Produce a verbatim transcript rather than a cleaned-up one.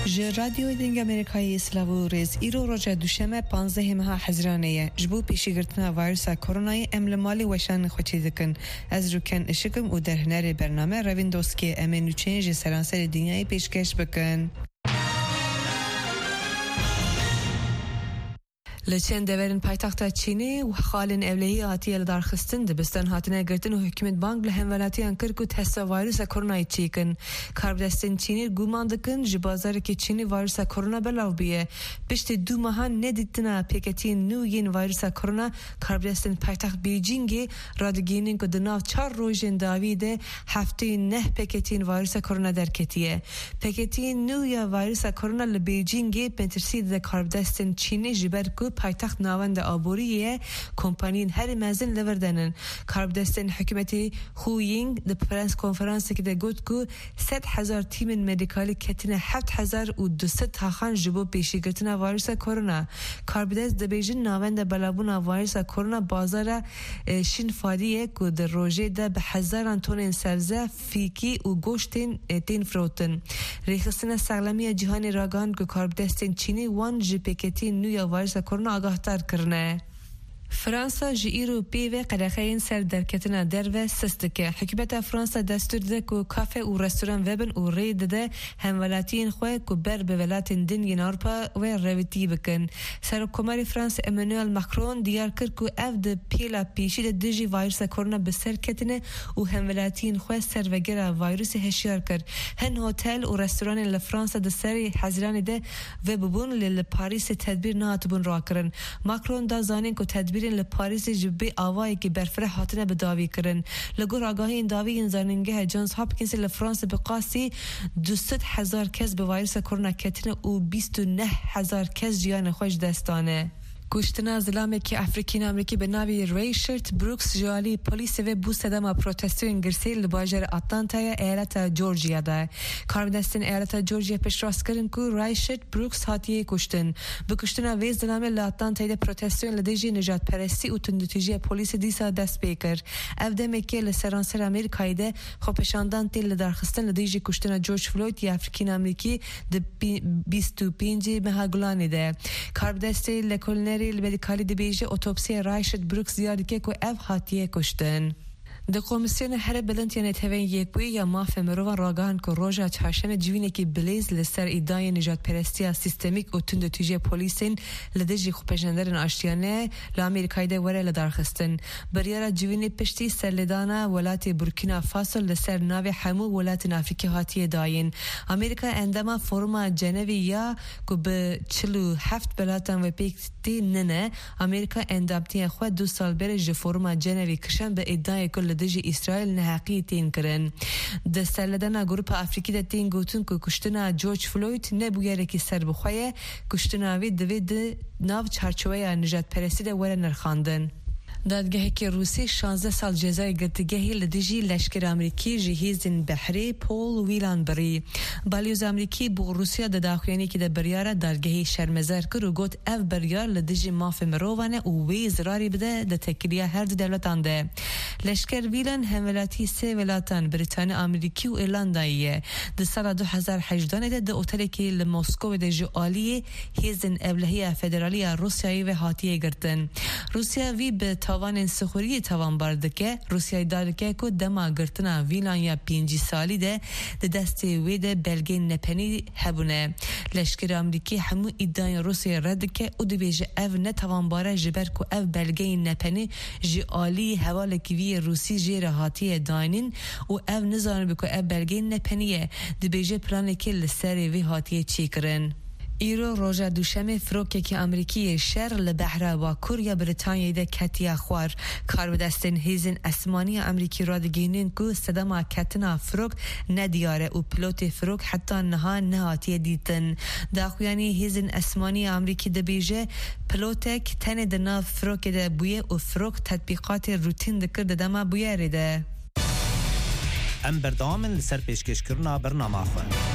Ji Radyoyê Dengê Amerîkayê silav û rêz. Îro roja Duşeme, panzdehê meha Hezîranê ye. Ji bo pêşîgirtina vîrusa koronayê em li malê weşanên xwe çêdikin. Ez Rûken Işik im û derhênerê bername Revîn Doskî ye. Em ê nûçeyên ji seranserê dinyayê pêşkeş bikin. Li çend deverên paytexta Çînê xalên ewlehî hatiye lidarxistin, dibistan hatine girtin û hikûmet bang li hemvelatiyan kir ku testa vîrusa koronayê çêkin. Karbidestên Çînê guman dikin ji bazarekî Çînê vîrusa korona belav bûye. Piştî du mehan nedîtina pêketiyên nû yên vîrusa korona, karbidestên paytext Bêjîngê radigihînin ku di nav çar rojên dawî de heftê û neh pêketiyên vîrusa korona derketiye. Pêketiyên nû ya vîrusa korona li Bêjîngê metirsî dide karbidestên Çînê, ji ber ku paytext navenda aboriyê ye, kompaniyên herî mezin li vir de nin. Karbidestên hikûmetê Hu Ying di prens konferansekê de got ku sed hezar tîmên medîkalî ketine heft hezar û du sed taxan ji bo pêşîgirtina vîrusa korona. Karbidest dibêjin navenda belavbûna vîrusa korona bazara, e, Şîn Fadî ye ku di rojê de bi hezaran tonên sebze, fîkî û goştên, e, tên firotin. Rêxistina Saxlemiya Cîhanê ragihand ku karbidestên Çînê wan ji pêketiyên nû ya vîrusa korona agahdar kirine. Fransa ji îro pê ve qedexeyên ser derketina derve sist dike. Hikûmeta Fransa destûr dide ku kafe û restoran vebin û rê dide hemwelatiyên xwe ku ber bi welatên din yên Ewropa ve rêwîtî bikin. Serokkomarê Fransa Emmanuel Macron diyar kir ku ev di pêla pêşî de dijî vîrusa korona bi ser ketine û hemwelatiyên xwe ser vegera vîrusê hişyar kir. Hin hotel û restoranên li Fransa di serê Hezîranê de vebûbûn, lê li Parîsê tedbîr nehatibûn rakirin. Macron da zanîn ku tedbîrên li Parîsê ji bê avayekî berfireh hatine bi dawî kirin. Li gor agahiyên dawî yên Zanîngeha Johns Hopkinsê, li Fransê bi qasî du sed hezar kes bi vîrusa korona ketine û bîst û neh hezar kes jiyanê xwe ji dest dane. Kuştina zilamekî Efrîkîn Amerîkî bi navê Rayshard Brooks ji alî polîsê ve bû sedema protestoyên girsê li bajarê Atlantaya eyaleta Georgia de. Karbidestên eyaleta Georgia piştrast kirin ku Rayshard Brooks hatiye kuştin. Bi kuştina vê zilamê li Atlantayê de protestoyên li dijî nijadperestî û tundûtîjiya polîsê dîsa dest pê kir. Ev demekê li seranser Amerîkayê de xwepêşandan tên lidarxistin li dijî kuştina George Floyd ya Efrîkîn Amerîkî di pî-, bîst û pêncê meha Gulanê de. Karbidestê lekolînerê li medîkalî dibêje, otopsiya Rayshard Brooks diyar dike ku ev hatiye kuştin. Di Komîsyona Here Bilind ya Netewên Yekbûyî ya Mafê Mirovan ragihand ku roja Çarşemê civînekî bilêz li ser îdayên nijadperestiya sîstemîk û tundûtîjiya polîsên li dijî xwepêşanderên aştiyane li Amerîkayê de were lidarxistin. Biryara civînê piştî serlêdana welatê Burkîna Faso li ser navê hemû welatên Afrîkî hatiye dayîn. Amerîka endama Foruma Cenevê ya ku bi çil û heft welatan ve pêk tê nine. Amerîka endamtiya xwe du sal berê ji Foruma Cenevê kişand bi îdiayê ku li dijî Îsraîl neheqiyê tên kirin. Di serledana Grupa Afrîkî de tên gotin ku kuştina George Floyd ne bûyerekî serbixwe ye, kuştina wê divê di nav çarçoweya nijadperestî de were nirxandin. Dadgehekî Rûsî şazdeh sal cezayê girtîgehê li dijî leşkera Amerîkî ji hêzên behrê Paul Whelan birî. Balyoz Amerîkî bo Rûsya di daxuyaniyekê de biryara dadgehê şermezar kir û got, ev biryar li dijî mafê mirovan e û wê zirarî bide di têkiliya her du dewletan de. Leşker Whelan hemwelatî sê welatan, Brîtanî, Amerîkî û Îrlandayê ye. Di sala du hezar hejdanê de di otelekê li Moskowê de ji aliyê Hêzên Ewlehiya Federalî ya Rûsyayê ve hatiye girtin. Rûsya vî bi tawanên sixuriyê tawanbar dike. Rûsya îdia dike ku dema girtina Whelan ya pêncî salî de di destê wê de belgeyên nepenî hebûne. Leşkerê Amerîkî hemû îdiayên Rûsyayê red dike û dibêje ev ne tawanbar e, ji ber ku ev belgeyên nepenî ji alî hevalekî vî yê Rûsî jê re hatiye dayînin û ev nizanibe ku ev belgeyên nepenî ye. Dibêje planekê li serê vê hatiye çêkirin. Îro roja Duşemê firokekî Amerîkî yê şer li behra bakur ya Brîtanyayê de ketiye xwar. Karbidestên hêzên esmanî ya Amerîkî radigihînin ku sedema ketina firok nediyar e û pilotê firok heta niha nehatiye dîtin. Daxuyanî hêzên esmanî ya Amerîkî dibêje, pilotek tenê di nav firokê de bûye û firok tetbîqatê rûtîn dikir di dema bûyerê de. Em berdewam in li ser pêşkêşkirina bernama xwe.